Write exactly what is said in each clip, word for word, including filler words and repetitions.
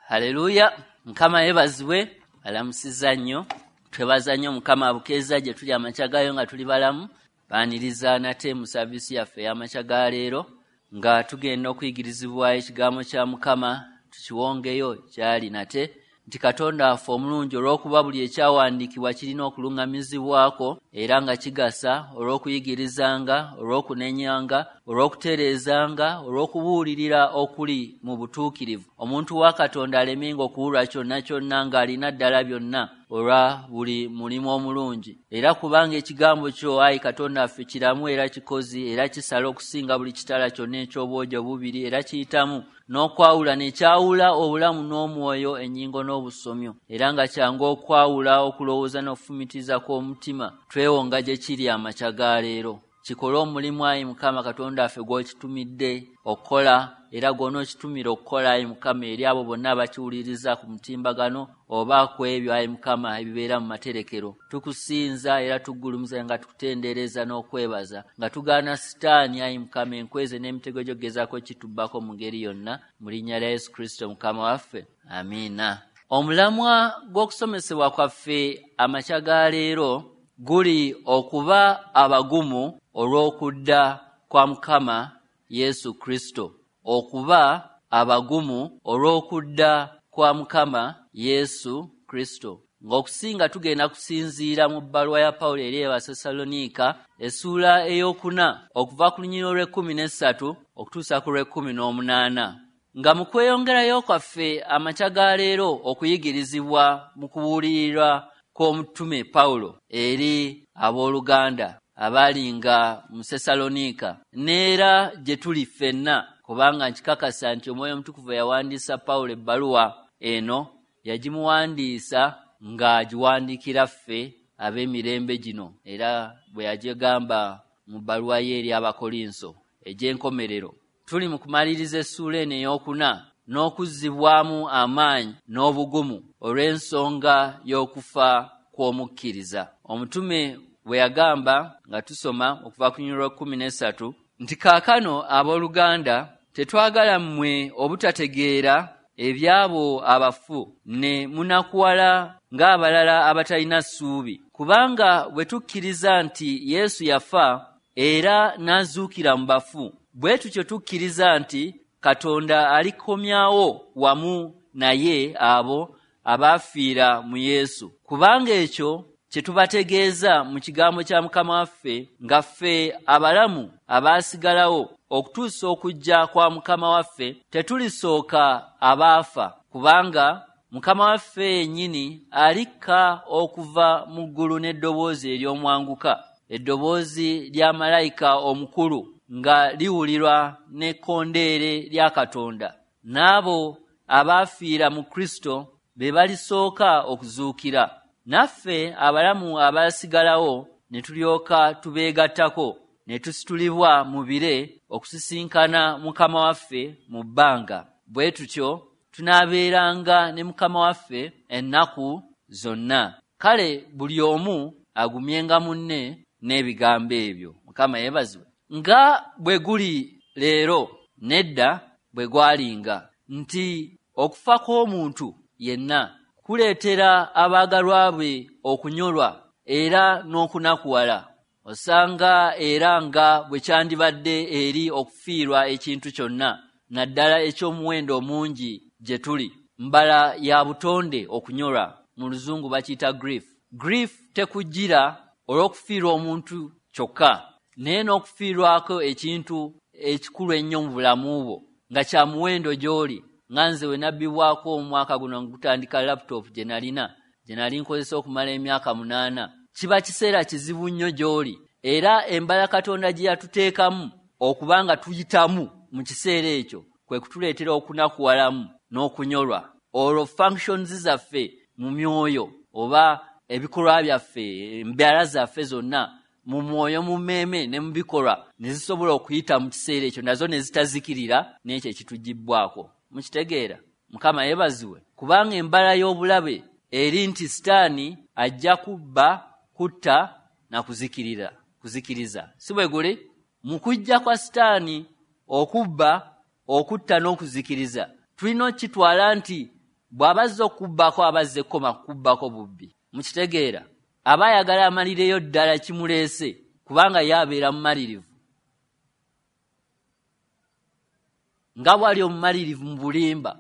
Haleluya! Mukama yeebazibwe, alamusizza nnyo. Twebaza nnyo Mukama abukeeza gye tuli amakya gaayo nga tuli balamu. Baaniriza nate mu saaviisi yaffe ey'amakya ga leero nga tugenda okuyigirizibwa ekigambo kya Mukama, tukiwongeyo kyali nate nti Katonda waffe omulungi, olw'okuba buli ekyawandiikibwa kirina okuluŋŋamizibwako era nga kigasa olw'okuyigirizanga, olw'okunenyanga, olw'okutereezanga, olw'okubuulirira okuli mu butuukirivu, omuntu wa Katonda alemenga okuwulwa kyonna kyonna ng'alina ddala byonna olwa buli mulimu omulungi. Era kubanga ekigambo kyo, ayi Katonda waffe, kiramu era kikozi era kisala okusinga buli kitala kyonna eky'obwogi obubiri, era kiyitamu n'okwawula nekyawula obulamu n'omwoyo, ennyingo n'obusomyo, era nga kyangu okwawula okulowooza n'okufumitiza kw'omutima. Twewonga gye kiri amakya ga leero. Kikole omulimu, ayi Mukama Katonda waffe, gw'okitumidde okukola era gw'onookitumira okukola, ayi Mukama, eri abo bonna abakiwuliriza ku mutimbagano oba ku ebyo, ayi Mukama, ebibeera mu materekero. Tukusinza era tuggulumiza nga tukutendereza n'okwebaza, nga tugaana Sitaani, ayi Mukama, enkweze n'emitego gy'okugezaako kitubbako mu ngeri yonna, mu linnya lya Yesu Kristo Mukama waffe, amiina. Omulamwa gw'okusomesebwa kwaffe amakya ga leero guli okuba abagumu olw'okudda kwa Mukama Yesu Kristo. Okuba abagumu olw'okudda kwa Mukama Yesu Kristo. Ng'okusinga tugenda kusinziira mu bbaluwa ya Pawulo eri Abasessaloniika essuula ey'okuna okuva ku lunyiriri olw'ekkumi n'essatu okutuusa ku lw'ekkumi n'omunaana. Nga mu kweyongerayo kwaffe amakya ga leero okuyigirizibwa mu kubuulirirwa kw'omutume Pawulo eri abooluganda abaalinga mu Sessaloniika n'era gye tuli ffenna, kubanga nkikakasa nti Omwoyo Omutukuvu yawandiisa Pawulo ebbaluwa eno yagimuwandiisa ng'agiwandiikira ffe ab'emirembe gino, era bwe yagigamba mu bbaluwa ye eri Abakolinso egy'enkomerero. Tuli mu kumaliriza essuula eno ey'okuna n'okuzzibwamu amaanyi n'obugumu olw'ensonga y'okufa kw'omukkiriza. Omutume bwe yagamba nga tusoma okuva ku lunyiriri lw'ekkumi n'essatu nti kaakano abooluganda tetwagala mmwe obutategeera ebyabo abafu ne munakuwala ng'abalala abatalina ssuubi, kubanga bwe tukkiriza nti Yesu yafa era n'azuukira mu bafu, bwe tutyo tukkiriza nti Katonda alikomyawo wamu naye abo abaafiira mu Yesu. Kubanga ekyo kye tubategeeza mu kigambo kya Mukama waffe, nga ffe abalamu abaasigalawo okutuusa okujja kwa Mukama waffe tetulisooka abaafa, kubanga Mukama waffe yennyini alikka okuva mu ggulu n'eddoboozi ery'omwanguka, eddoboozi lya malayika omukulu nga liwulirwa n'ekkondeere lya Katonda, n'abo abaafiira mu Kristo be balisooka okuzuukira. Naffe abalamu abaasigalawo ne tulyoka tubeegattako ne tusitulibwa mu bire okusisinkana Mukama waffe mu bbanga. Bwe tutyo tunaabeeranga ne Mukama waffe ennaku zonna. Kale buli omu agumyenga munne n'ebigambo ebyo. Mukama yeebazibwe. Nga bwe guli leero nedda bwe gwalinga, nti okufa kw'omuntu yenna kuleetera abaagalwa be okunyolwa era n'okunakuwala. Osanga era nga bwe kyandibadde eri okufiirwa ekintu kyonna, naddala eky'omuwendo omungi gye tuli. Mbala ya butonde okunyolwa, mu Luzungu bakiyita grief. Grief tekujjira olw'okufiirwa omuntu kyokka, naye n'okufiirwako ekintu ekikulu ennyo mu bulamu bwo nga kya muwendo gy'oli. Nga nze we nabbibwako omwaka guno ngutandika laptop gye nalina, gye nali nkozesa okumala emyaka munaana. Kiba kiseera kizibu nnyo gy'oli, era embala Katonda gye yatuteekamu okuba nga tuyitamu mu kiseera ekyo kwe kutuleetera okunakuwalamu n'okunyolwa. Olwo functions zaffe mu myoyo oba ebikolwa byaffe, embeera zaffe zonna mu mwoyo, mu mmeeme ne mu bikolwa ne zisobola okuyita mu kiseera ekyo, nazo ne zitazikirira n'ekyo ekitugibbwako. Mukitegeera? Mukama yeebazibwe. Kubanga embala y'obulabe eri nti Sitaani ajja kubba, kutta na kuzikirira, kuzikiriza. Si bwe guli? Mu kujja kwa Sitaani okubba, okutta n'okuzikiriza, tulina okukitwala nti Bw'abazze okubbako abazze koma kubbako bubbi. Mukitegeera? Aba ayagala amalireyo ddala kimuleese, kubanga ye abeera mumalirivu. Nga bw'ali omumalirivu mu bulimba,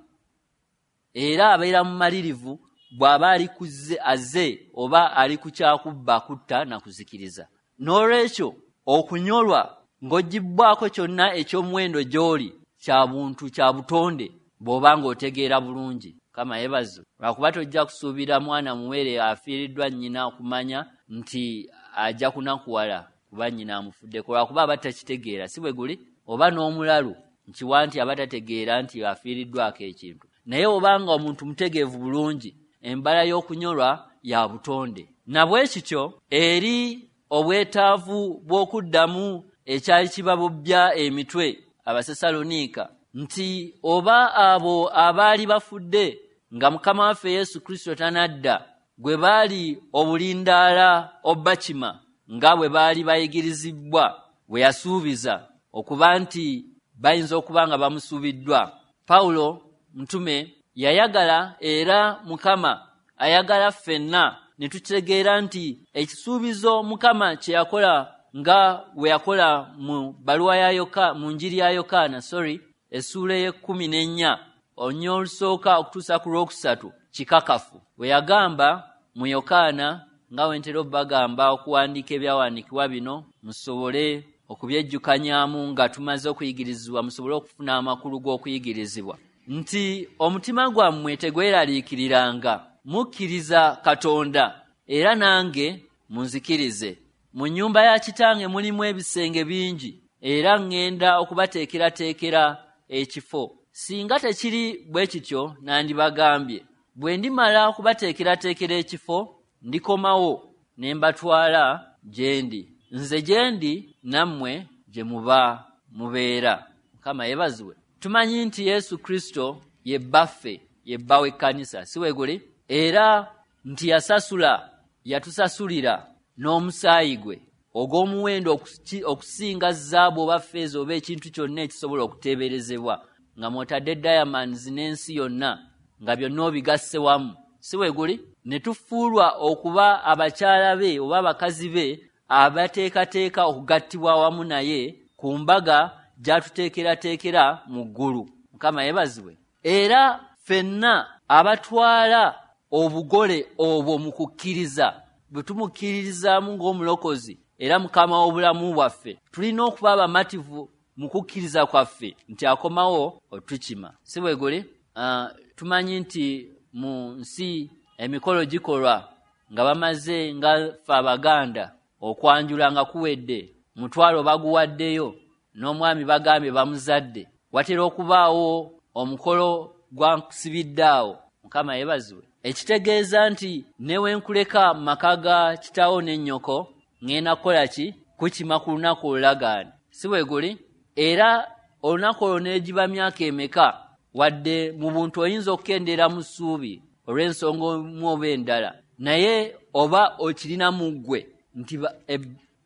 era abeera mumalirivu bw'aba ali kuzze azze oba ali ku kyakubba, kutta na kuzikiriza. N'olwekyo okunyolwa ng'oggyibwako kyonna eky'omuwendo gy'oli kya buntu, kya butonde, bw'oba ng'otegeera bulungi. Mukama yeebazibwe. Lwakuba tojja kusuubira mwana muwere afiiriddwa nnyina okumanya nti ajja kunakuwala kuba nnyina amufuddeko, lwakuba aba takitegeera, si bwe guli? Oba n'omulalu nkiwa nti aba tategeera nti afiiriddwako ekintu. Naye obanga omuntu mutegeevu bulungi, embala y'okunyolwa ya butonde. Na bwe kityo eri obwetaavu bw'okuddamu ekyali kibabobbya emitwe Abasessaloniika nti oba abo abaali bafudde nga Mukama waffe Yesu Kristo tanadda gwe baali obulindaala obbakima nga bwe baali bayigirizibwa bwe yasuubiza okuba nti bayinza okuba nga bamusuubiddwa. Pawulo mutume yayagala, era Mukama ayagala ffenna ne tutegeera nti ekisuubizo Mukama kye yakola nga bwe yakola mu bbaluwa ya Yokaana, mu njiri ya Yokaana, sorry, essuula ey'ekkumi n'ennya olunyiriri olusooka okutuusa ku lwokusatu kikakafu. Bwe yagamba mu Yokaana, nga bwe ntera obbagamba okuwandiika ebyawandiikibwa bino musobole okubyejjukanyaamu nga tumaze okuyigirizibwa, musobole okufuna amakulu g'okuyigirizibwa, nti omutima gwammwe tegweraliikiriranga, mukkiriza Katonda era nange munzikirize. Mu nnyumba ya kitange mulimu ebisenge bingi, era ŋŋenda okubateekerateekera ekifo. Singa tekiri bwe kityo nandibagambye. Bwe ndimala okubateekerateekera ekifo, ndikomawo ne mbatwala gye ndi. Nze gye ndi nammwe gye muba mubeera. Mukama yeebazibwe. Tumanyi nti Yesu Kristo ye bbaffe, ye bba w'ekkanisa, si bwe guli? Era nti yasasula, yatusasulira n'omusaayi gwe ogw'omuwendo okusinga zaabu oba ffeeza oba ekintu kyonna ekisobola okuteeberezebwa, nga mw'otadde diamonds n'ensi yonna, nga byonna obigasse wamu, si bwe guli? Ne tufuulwa okuba abakyala be oba abakazi be abateekateeka okugattibwa awamu naye ku mbaga gy'atuteekerateekera mu ggulu. Mukama yeebazibwe. Era ffenna abatwala obugole obwo mu kukkiriza, bwe tumukkiririzaamu ng'omulokozi era Mukama w'obulamu bwaffe, tulina okuba abamativu mu kukkiriza kwaffe nti akomawo otukima, si bwe guli? Uh, tumanyi nti mu nsi emikolo gikolwa nga bamaze, nga ffe Abaganda okwanjula nga kuwedde, mutwalo baguwaddeyo n'omwami bagambye bamuzadde, watera okubaawo omukolo gwa nkusibidde awo. Mukama yeebazibwe. Ekitegeeza nti ne we nkuleka mu maka ga kitaawo ne nnyoko, ŋŋenda kukola ki? Kukima ku lunaku olulagaane, si bwe guli? Era olunaku olwo n'egiba myaka emeka, wadde mu buntu oyinza okukendeera mu ssuubi olw'ensonga omu oba endala, naye oba okirina mu ggwe nti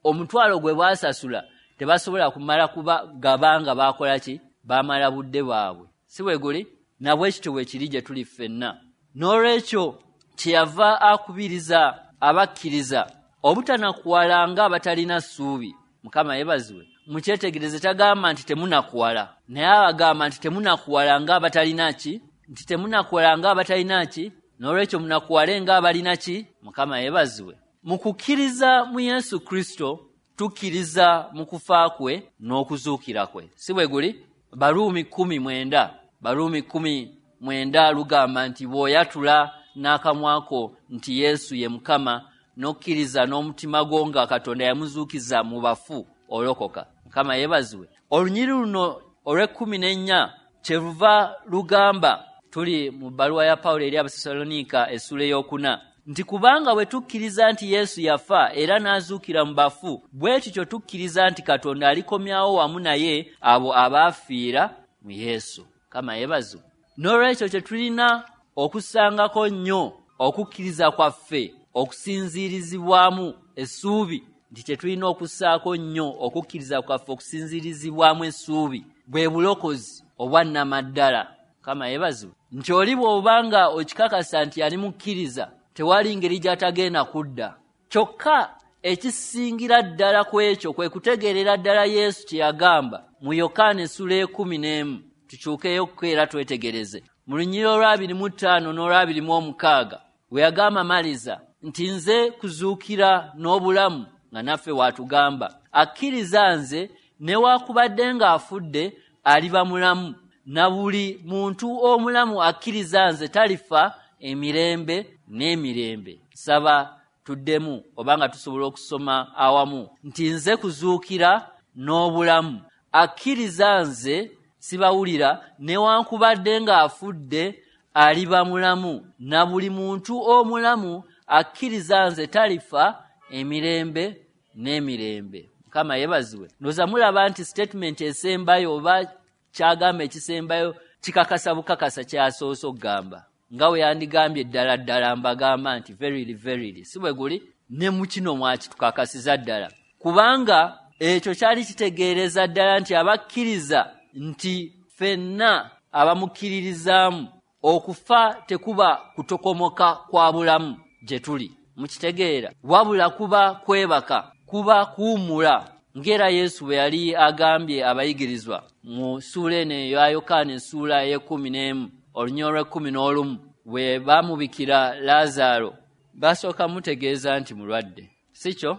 omutwalo gwe baasasula tebasobola kumala kuba gabanga baakola ki? Baamala budde bwabwe, si bwe guli? Na bwe kityo bwe kiri gye tuli ffenna. N'olwekyo kyeyava akubiriza abakkiriza obutanakuwala nga abatalina ssuubi. Mukama yeebazibwe. Mukyetegereze, tagamba nti temunakuwala, naye abagamba nti temunakuwala nga abatalina ki? Nti temunakuwala nga abatalina ki? N'olwekyo munakuwale nga abalina ki? Mukama yeebazibwe. Mu kukkiriza mu Yesu Kristo tukkiriza mu kufa kwe n'okuzuukira kwe, si bwe guli? Baruumi kkumi mwenda, Baruumi kkumi mwenda lugamba nti bw'oyatula n'akamwa ko nti Yesu ye Mukama n'okkiriza n'omutima gwo nga Katonda yamuzuukiza mu bafu, olokoka. Mukama yeebazibwe. Olunyiriri luno olw'ekkumi n'ennya kyeruva lugamba, tuli mu bbaluwa ya Pawulo eri Abasessaloniika essuula ey'okuna, nti kubanga bwe tukkiriza nti Yesu yafa era n'azuukira mu bafu, bwe tutyo tukkiriza nti Katonda alikomyawo wamu naye abo abaafiira mu Yesu. Mukama yeebazibwe. N'olwekyo kye tulina okusangako nnyo okukkiriza kwaffe okusinziirizibwamu essuubi, nti kye tulina okussaako nnyo okukkiriza kwaffe okusinziirizibwamu essuubi bwe bulokozi obwa nnamaddala. Mukama yeebazibwe. Nti oli bw'obanga okikakasa nti yali mukkiriza, tewali ngeri gy'atagenda kudda. Kyokka ekisingira ddala ku ekyo kwe kutegeerera ddala Yesu kye yagamba mu Yokaana essula ekumi n'emu. Tukyukeyo era twetegereze mu lunyiriri olw'abiri mu ttaano n'olw'abiri mu omukaaga, we yagamba Maliza nti nze kuzuukira n'obulamu, nga naffe waatugamba akkiriza nze newaakubadde ng'afudde aliba mulamu, na buli muntu omulamu akkiriza nze talifa emirembe n'emirembe. Saba tuddemu obanga tusobola okusoma awamu nti nze kuzuukira n'obulamu, akkiriza nze sibawulira newankubadde ng'afudde aliba mulamu, na buli muntu omulamu akkiriza nze talifa emirembe n'emirembe. Mukama yeebazibwe. Ndowooza mulaba nti statement esembayo oba kyagamba ekisembayo kikakasa bukakasa kyasoose okugamba, nga we yandigambye ddala ddala mbagamba nti verily verily, si bwe guli? Ne mu kino mwakitukakasiza ddala, kubanga ekyo kyali kitegeereza ddala nti abakkiriza nti ffenna abamukkiririzaamu okufa tekuba kutokomoka kwa bulamu gye tuli, mukitegeera, wabula kuba kwebaka, kuba kuwummula, ng'era Yesu bwe yali agambye abayigirizwa mu ssuula eno eya Yokaana essuula ey'ekkumi n'emu olunyiriri olw'ekkumi n'olumu, bwe baamubikira Laazaalo basooka mutegeeza nti mulwadde, si kyo?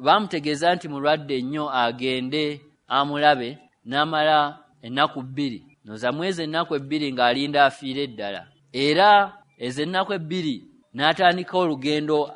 Baamutegeeza nti mulwadde nnyo agende amulabe, n'amala ennaku bbiri. Noza mwezi ennaku ebbiri ng'alinda afiire ddala, era ezo ennaku ebbiri n'atandika olugendo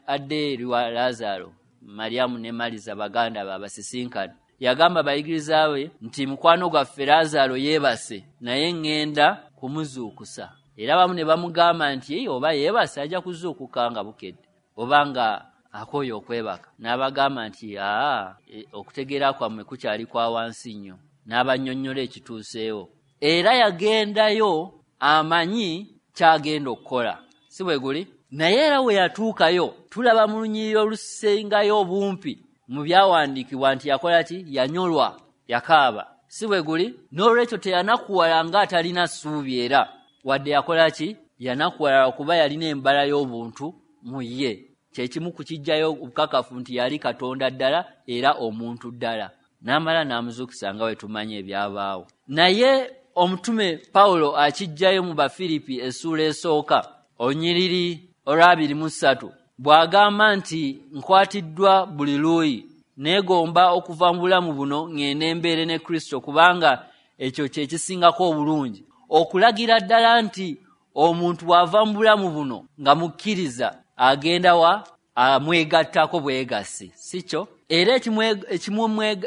adde eri wa Laazaalo. Mariamu ne Maliza baganda be abasisinkana. Yagamba abayigiriza be nti mukwano gwaffe Laazaalo yeebase, naye ŋŋenda kumuzuukusa. Era abamu ne bamugamba nti oba yeebase ajja kuzuukuka nga bukedde, oba nga akooye okwebaka. N'abagamba nti aa, okutegeera kwammwe kukyali kwa wansi nnyo. N'abannyonnyola ekituuseewo. Era yagendayo amanyi ky'agenda okukola, si bwe guli? Naye era we yatuukayo tulaba mu lunyiriri olusengayo obumpi mu byawandiikibwa nti yakola ki? Yanyolwa, yakaaba, si bwe guli? N'olwekyo teyanakuwala ng'atalina ssuubi, era wadde yakola ki? Yanakuwala okuba yalina embala y'obuntu mu ye. Kye kimu ku kijjayo obukakafu nti yali Katonda ddala era omuntu ddala. N'amala n'amuzuukisa nga bwe tumanyi ebyabaawo. Naye omutume Pawulo akijjayo mu Bafiripi essuula esooka olunyiriri olw'abiri mu ssatu, bw'agamba nti nkwatiddwa buli luuyi, neegomba okuva mu bulamu buno ŋŋende mbeere ne Kristo, kubanga ekyo kye kisingako obulungi. Okulagira ddala nti omuntu bw'ava mu bulamu buno nga mukkiriza agenda wa? Amwegattako bwegassi, si kyo? Era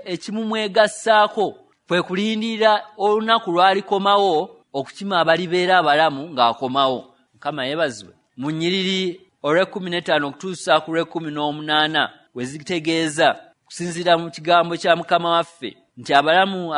ekimumwegassaako kwe kulindirira olunaku lw'alikomawo okukima abalibeera abalamu ng'akomawo. Mukama yeebazibwe. Mu nnyiriri olw'ekkumi n'ettaano okutuusa ku lw'ekkumi n'omunaana we zitegeeza kusinziira mu kigambo kya Mukama waffe nti abalamu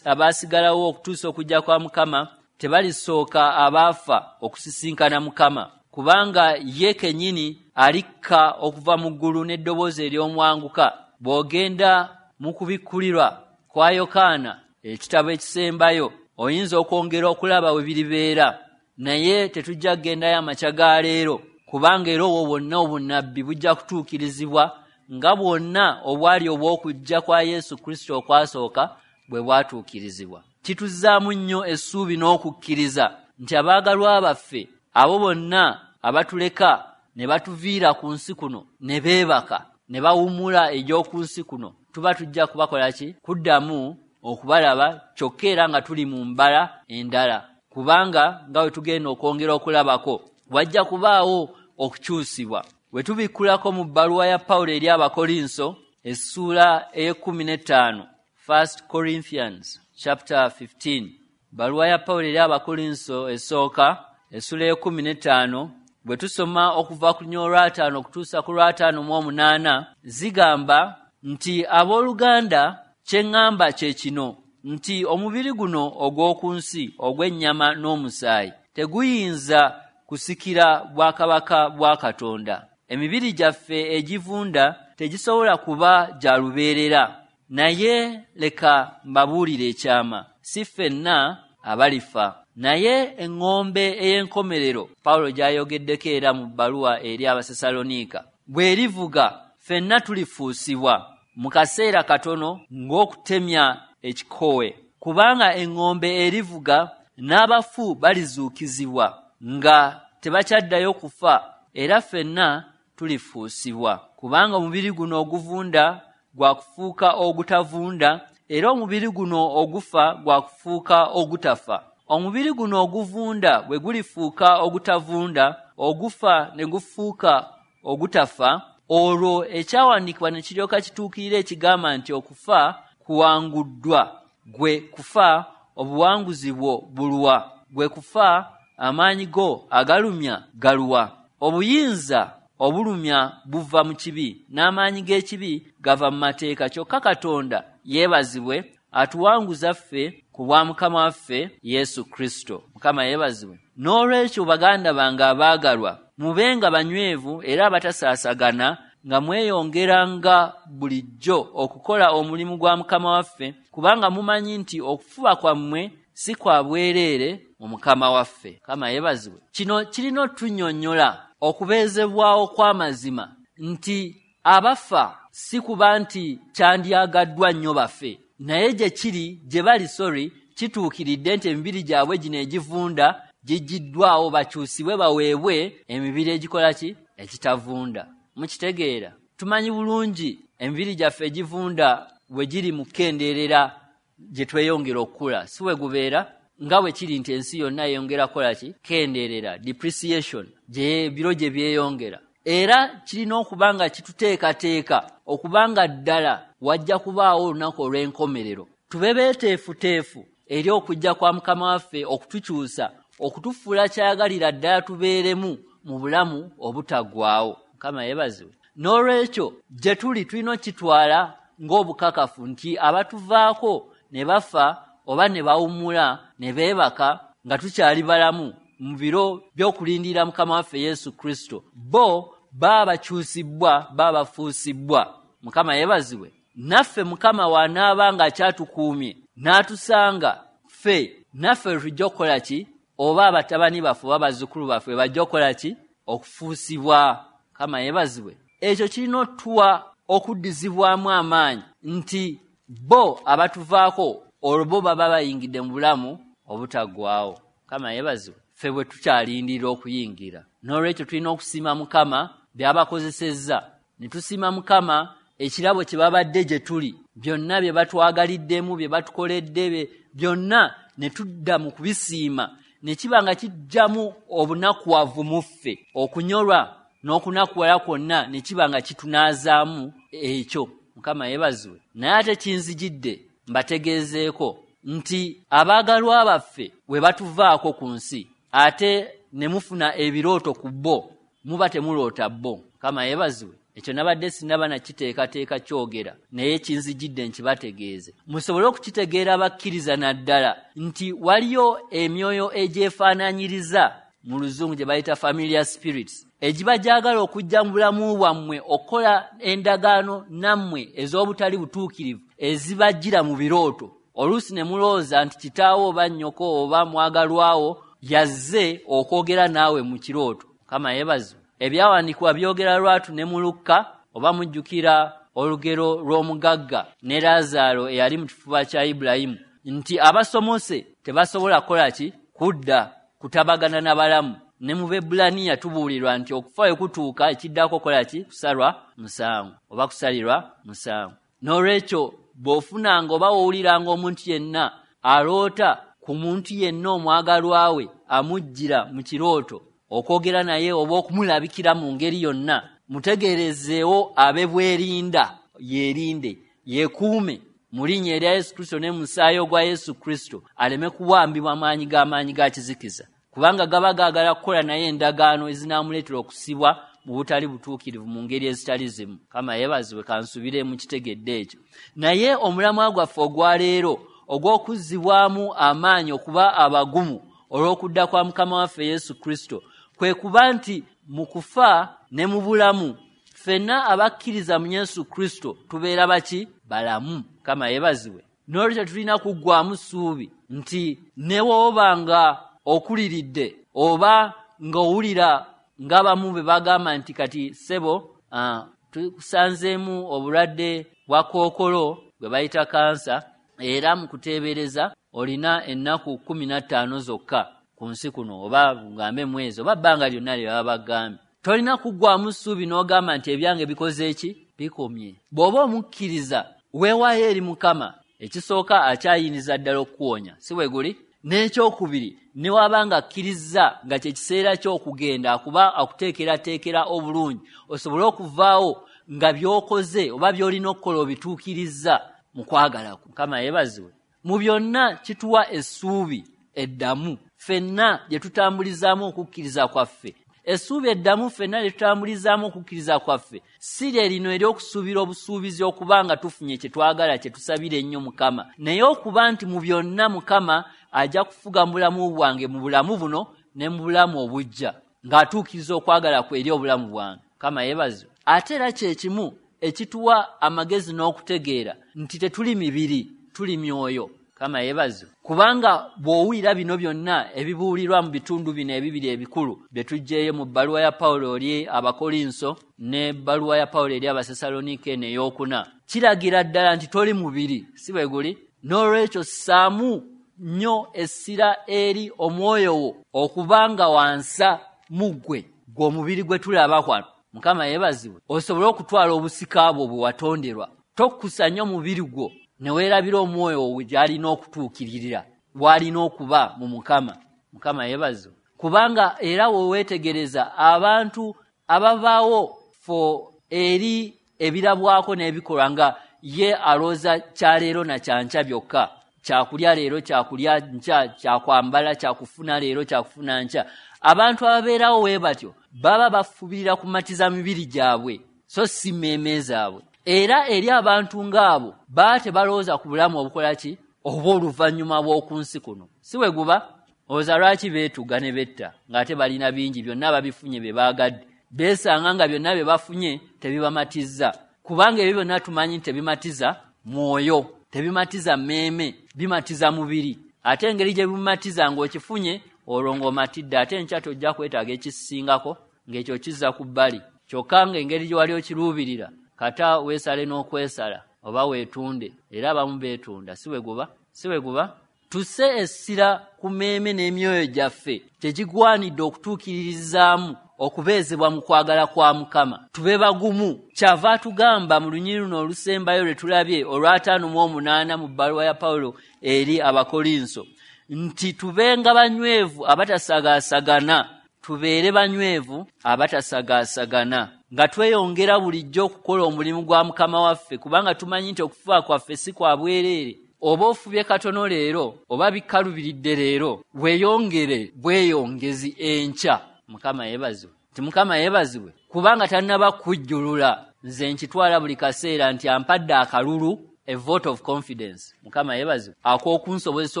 abaasigalawo okutuusa okujja kwa Mukama tebalisooka abaafa okusisinkana Mukama, kubanga ye kennyini alikka okuva mu ggulu n'eddoboozi ery'omwanguka. Bw'ogenda mu kubikkulirwa kwa Yokaana ekitabo ekisembayo oyinza okwongera okulaba we biribeera, naye tetujja kugendayo amakya ga leero, kubanga era obwo bwonna obunnabbi bujja kutuukirizibwa nga bwonna obwali obw'okujja kwa Yesu Kristo okwasooka bwe bwatuukirizibwa. Kituzzaamu nnyo essuubi n'okukkiriza nti abaagalwa baffe abo bonna abatuleka ne batuviira ku nsi kuno ne beebaka ne bawummula egy'oku nsi kuno, tuba tujja kubakola ki? Kuddamu okubalaba, kyokka era nga tuli mu mbala endala, kubanga nga bwe tugenda okwongera okulabako wajja kubaawo okukyusibwa. Bwe tubikkulako mu bbaluwa ya Pawulo eri Abakolinso essuula ey'ekkumi n'ettaano, First Corinthians chapter fifteen, bbaluwa ya Pawulo eri Abakolinso esooka essuula ey'ekkumi n'ettaano, bwe tusoma okuva ku lunyiriri olw'ataano okutuusa ku lw'ataano mu omunaana, zigamba nti abooluganda kye ŋŋamba kye kino nti omubiri guno ogw'oku nsi ogw'ennyama n'omusaayi teguyinza kusikira bwakabaka bwa Katonda. Emibiri gyaffe egivunda tegisobola kuba gya lubeerera, naye leka mbabuulire ekyama, si ffenna abalifa, Naye eŋŋombe ey'enkomerero Pawulo gy'ayogeddeko era mu bbaluwa eri Abasessaloniika, bw'erivuga ffenna tulifuusibwa mu kaseera katono ng'okutemya ekikowe. Kubanga eŋŋombe erivuga n'abafu balizuukizibwa nga tebakyaddayo kufa, era ffenna tulifuusibwa. Kubanga omubiri guno oguvunda gwa kufuuka ogutavunda, era omubiri guno ogufa gwa kufuuka ogutafa. Omubiri guno oguvunda bwe gulifuuka ogutavunda, ogufa ne gufuuka ogutafa, olwo ekyawandiikibwa ne kiryoka kituukirira ekigamba nti okufa kuwanguddwa. Gwe kufa, obuwanguzi bwo buluwa? Gwe kufa, amaanyi go agalumya galuwa? Obuyinza obulumya buva mu kibi, n'amaanyi g'ekibi gava mu mateeka. Kyokka Katonda yeebazibwe atuwanguza ffe ku bwa Mukama waffe Yesu Kristo. Mukama yeebazibwe. N'olwekyo baganda bange abaagalwa, mubenga banywevu era abatasaasagana, nga mweyongeranga bulijjo okukola omulimu gwa Mukama waffe, kubanga mumanyi nti okufuba kwammwe si kwa bwereere mu Mukama waffe. Mukama yeebazibwe. Kino kirina otunyonnyola okubeezebwawo kw'amazima nti abafa si kuba nti kyandyagaddwa nnyo bafe, naye gye kiri gye bali sorry kituukiridde nti emibiri gyabwe gino egivunda gigiddwawo bakyusibwe baweebwe emibiri egikola ki? Ekitavunda. Mukitegeera? Tumanyi bulungi emibiri gyaffe egivunda bwe giri mu kukendeerera gye tweyongera okukula, si bwe gubeera nga bwe kiri nti ensi yonna yeyongera kukola ki? Kendeerera, depreciation, gye biro gye byeyongera. Era kirina okuba nga kituteekateeka okubanga ddala wajja kubaawo olunaku olw'enkomerero. Tube beeteefuteefu eri okujja kwa Mukama waffe okutukyusa, okutufuula kyayagalira ddala tubeeremu mu bulamu obutaggwaawo. Mukama yeebazibwe. N'olwekyo gye tuli tulina okukitwala ng'obukakafu nti abatuvaako ne bafa oba ne bawummula ne beebaka nga tukyali balamu mu biro by'okulindirira Mukama waffe Yesu Kristo, bo baba bakyusibwa, baba bafuusibwa. Mukama yeebazibwe. Naffe Mukama w'anaaba ng'akyatukuumye n'atusanga ffe, naffe tujja okukola ki? Oba abatabani baffe oba bazzukulu baffe bajja okukola ki? Okufuusibwa. Mukama yeebazibwe. Ekyo kirina otuwa okuddizibwamu amaanyi nti bo abatuvaako olwo bo baba bayingidde mu bulamu obutaggwaawo. Mukama yeebazibwe. Ffe bwe tukyalindirira okuyingira. N'olwekyo tulina okusiima Mukama by'abakozesezza, ne tusiima Mukama ekirabo kye babadde gye tuli, byonna bye batwagaliddemu, bye batukoledde, byonna ne tudda mu kubisiima, ne kiba nga kijjamu obunakuwavu mu ffe, okunyolwa n'okunakuwala kwonna ne kiba nga kitunaazaamu ekyo. Mukama yeebazibwe. Naye ate kinzijidde mbategeezeeko nti abaagalwa baffe bwe batuvaako ku nsi ate ne mufuna ebirooto ku bo, muba temuloota bo. Mukama yeebazibwe. Ekyo nabadde sinnaba nakiteekateeka kyogera, naye kinzijidde nkibategeeze musobole okukitegeera abakkiriza naddala nti waliyo emyoyo egyefaanaanyiriza, mu Luzungu gye bayita familiar spirits, egiba gyagala okujja mu bulamu bwammwe okukola endagaano nammwe ez'obutali butuukirivu ezibajjira mu birooto. Oluusi ne mulowooza nti kitaawo oba nnyoko oba mwagalwawo yazze okwogera naawe mu kirooto. Mukama yeebazibwe. Ebyawandiikibwa byogera lwatu ne mu Lukka, oba mujjukira olugero lw'omugagga ne Laazaalo eyali mu kifuba kya Ibulayimu, nti abasomose tebasobola kukola ki? Kudda kutabagana na balamu. Ne mu Bebbulaniya tubuulirwa nti okufa we kutuuka ekiddako kukola ki? Kusalwa musango oba kusalirwa musango. N'olwekyo bw'ofunanga oba wowuliranga omuntu yenna aloota ku muntu yenna omwagalwa we amujjira mu kirooto okwogera naye oba okumulabikira mu ngeri yonna, mutegeerezeewo abe bwerinda, yeerinde, yeekuume mu linnya erya Yesu Kristo ne mu musaayi ogwa Yesu Kristo, aleme kuwambibwa maanyi g'amaanyi ga kizikiza, kubanga gaba gaagala kukola naye endagaano ezinaamuleetera okusibwa mu butali butuukirivu mu ngeri ezitali zimu. Mukama yeebazibwe. Kansubire mukitegedde ekyo. Naye omulamwa gwaffe ogwa leero ogw'okuzzibwamu amaanyi okuba abagumu olw'okudda kwa Mukama waffe Yesu Kristo, kwe kuba nti mu kufa ne mu bulamu ffenna abakkiriza mu Yesu Kristo tubeera baki? Balamu. Mukama yeebazibwe. N'olwekyo tulina kuggwaamu ssuubi nti ne bw'oba nga okuliridde oba ng'owulira ng'abamu bwe bagamba nti kati ssebo uh, tukusanzeemu obulwadde bwa kookolo bwe bayita kansa, era mu kuteebereza olina ennaku kkumi na ttaano zokka ku nsi kuno, oba gambe mwezi oba bbanga lyonna lye baba bagambye. Tolina kuggwamu ssuubi n'ogamba nti ebyange bikoze ki? Bikomye. Bw'oba omukkiriza weewaayo eri Mukama, ekisooka akyayinza ddala okukuwonya, si bwe guli? N'ekyokubiri, ne waba nga akkirizza nga kye kiseera ky'okugenda akuba akuteekerateekera obulungi osobole okuvaawo nga by'okoze oba by'olina okukola obituukirizza mu kwagala kwe. Mukama yeebazibwe. Mu byonna kituwa essuubi eddamu ffenna lye tutambulizaamu okukkiriza kwaffe. Essuubi eddamu ffenna lye tutambulizaamu okukkiriza kwaffe si lye lino ery'okusuubira obusuubizi okuba nga tufunye kye twagala kye tusabira ennyo Mukama, naye okuba nti mu byonna Mukama ajja kufuga mu bulamu bwange, mu bulamu buno ne mu bulamu obujja, ng'atuukiriza okwagala kwe eri obulamu bwange. Mukama yeebazibwe. Ate era kye kimu ekituwa amagezi n'okutegeera nti tetuli mibiri, tuli myoyo. Mukama yeebazibwe. Kubanga bw'owulira bino byonna ebibuulirwa mu bitundu bino ebibiri ebikulu bye tuggyeyo mu bbaluwa ya Pawulo eri Abakolinso n'ebbaluwa ya Pawulo eri Abasessaloniike eno ey'okuna, kiragira ddala nti toli mubiri, si bwe guli? N'olwekyo ssaamu nnyo essira eri omwoyo wo okuba nga wansa mu ggwe, gwe omubiri gwe tulaba wano. Mukama yeebazibwe. Osobole okutwala obusika bwo bwe watonderwa. Tokkusa nnyo mubiri gwo ne weerabira omwoyo wo gy'alina okutuukiririra, w'alina okuba mu Mukama. Mukama yeebazibwe. Kubanga era we weetegereza abantu ababaawo fo eri ebirabwako n'ebikolwa nga ye alowooza kya leero na kya nkya byokka, kyakulya leero, kyakulya nkya, kyakwambala, kyakufuna leero, kyakufuna nkya. Abantu ababeerawo we batyo baba bafubirira kumatiza mibiri gyabwe so si mmeeme zaabwe. Era eri abantu ng'abo baba tebalowooza ku bulamu obukola ki oba oluvannyuma bw'oku nsi kuno, si bwe guba? Olowooza lwaki beetuga ne betta ng'ate balina bingi, byonna babifunye bye baagadde, beesanga nga byonna bye bafunye tebibamatizza, kubanga ebyo byonna tumanyi nti tebimatiza mwoyo, tebimatiza mmeeme, bimatiza mubiri. Ate engeri gye bimatiza ng'okifunye olwo ng'omatidde, ate enkya tojja kwetaaga ekisingako ng'ekyo kizza ku bbali. Kyokka ng'engeri gye wali okiruubirira kata weesale n'okwesala oba weetunde, era abamu beetunda, si bwe guba? Si bwe guba? Tusse essira ku mmeeme n'emyoyo gyaffe kye kigwanidde okutuukiririzaamu okubeezebwa mu kwagala kwa Mukama. Tube bagumu. Kyava atugamba mu lunyiriri luno olusembayo lwe tulabye olw'ataano mu omunaana mu bbaluwa ya Pawulo eri Abakolinso nti tubenga banywevu abatasagaasagana, tubeere banywevu abatasagaasagana, nga tweyongera bulijjo okukola omulimu gwa Mukama waffe, kubanga tumanyi nti okufuba kwaffe si kwa bwereere. Oba ofubye katono leero oba bikalubiridde leero, weeyongere bweyongezi enkya. Mukama yeebazibwe. Nti Mukama yeebazibwe kubanga tannaba kujjulula. Nze nkitwala buli kaseera nti ampadde akalulu, a vote of confidence. Mukama yeebazibwe ak'okunsobozesa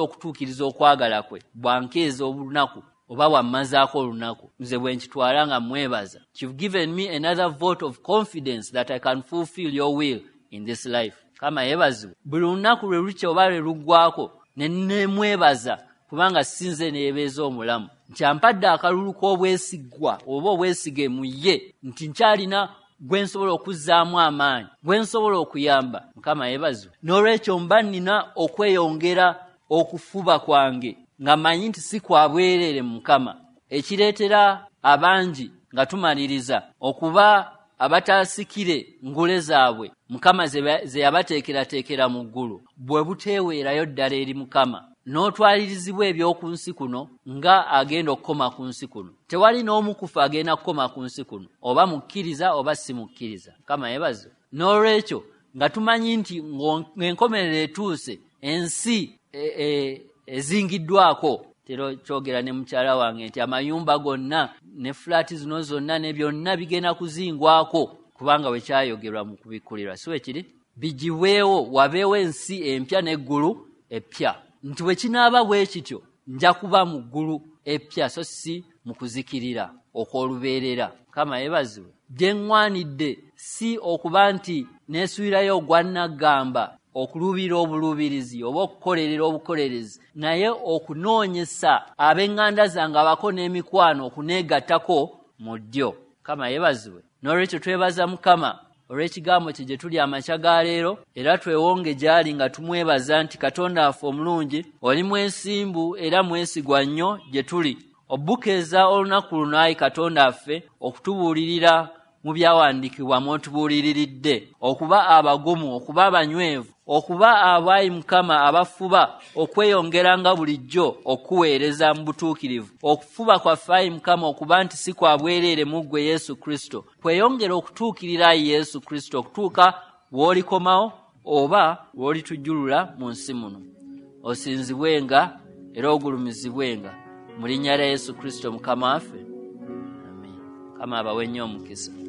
okutuukiriza okwagala kwe bwankeeza olunaku oba bwammazaako olunaku. Nze bwe nkitwala nga mwebaza. You've given me another vote of confidence that I can fulfill your will in this life. Mukama yeebazibwe. Buli lunaku lwe lukya oba lwe luggwako ne nemwebaza kubanga si nze neebeeza omulamu, nti ampadde akalulu k'obwesigwa oba obwesige mu ye, nti nkyalina gwe nsobola okuzzaamu amaanyi, gwe nsobola okuyamba. Mukama yeebazibwe. N'olwekyo mba nnina okweyongera okufuba kwange nga mmanyi nti si kwa bwereere mu Mukama, ekireetera abangi nga tumaliriza okuba abataasikire ngule zaabwe Mukama ze yabateekerateekera mu ggulu, bwe buteeweerayo ddala eri Mukama n'otwalirizibwa eby'oku nsi kuno nga agenda okukoma ku nsi kuno. Tewali n'omu kufa agenda kukoma ku nsi kuno, oba mukkiriza oba si mukkiriza. Mukama yeebazibwe. N'olwekyo nga tumanyi nti ng'enkomerero etuuse, ensi ezingiddwako. Tero kyogera ne mukyala wange nti amayumba gonna ne fulaati zino zonna ne byonna bigenda kuzingwako, kubanga bwe kyayogerwa mu kubikkulirwa, si bwe kiri? Bigibwewo wabeewo ensi empya n'eggulu eppya. Nti bwe kinaaba bwe kityo nja kuba mu ggulu eppya so si mu kuzikirira okw'olubeerera. Mukama yeebazibwe. Bye ŋŋwanidde si okuba nti neesuulirayo ogwa nnaggamba okuluubirira obuluubirizi oba okukolerera obukolerezi, naye okunoonyesa ab'eŋŋanda zange abako n'emikwano okuneegattako mu ddyo. Mukama yeebazibwe. N'olwekyo twebaza Mukama olw'ekigambo kye gye tuli amakya ga leero, era twewonge gy'ali nga tumwebaza nti Katonda waffe omulungi, oli mwesimbu era mwesigwa nnyo gye tuli. Obukeeza olunaku luno, ayi Katonda waffe, okutubuulirira mu byawandiikibwa mw'otubuuliriridde, okuba abagumu, okuba abanywevu, okuba abayi Mukama abafuba okweyongeranga bulijjo okuweereza mu butuukirivu. Okufuba kwaffe, ayi Mukama, okuba nti si kwa bwereere mu ggwe Yesu Kristo, kweyongera okutuukirira ayi Yesu Kristo okutuuka w'olikomawo oba w'olitujjulula mu nsi muno. Osinzibwenga era ogulumizibwenga mu linnya lya Yesu Kristo Mukama waffe. Amen. Mukama abawe nnyo omukisa.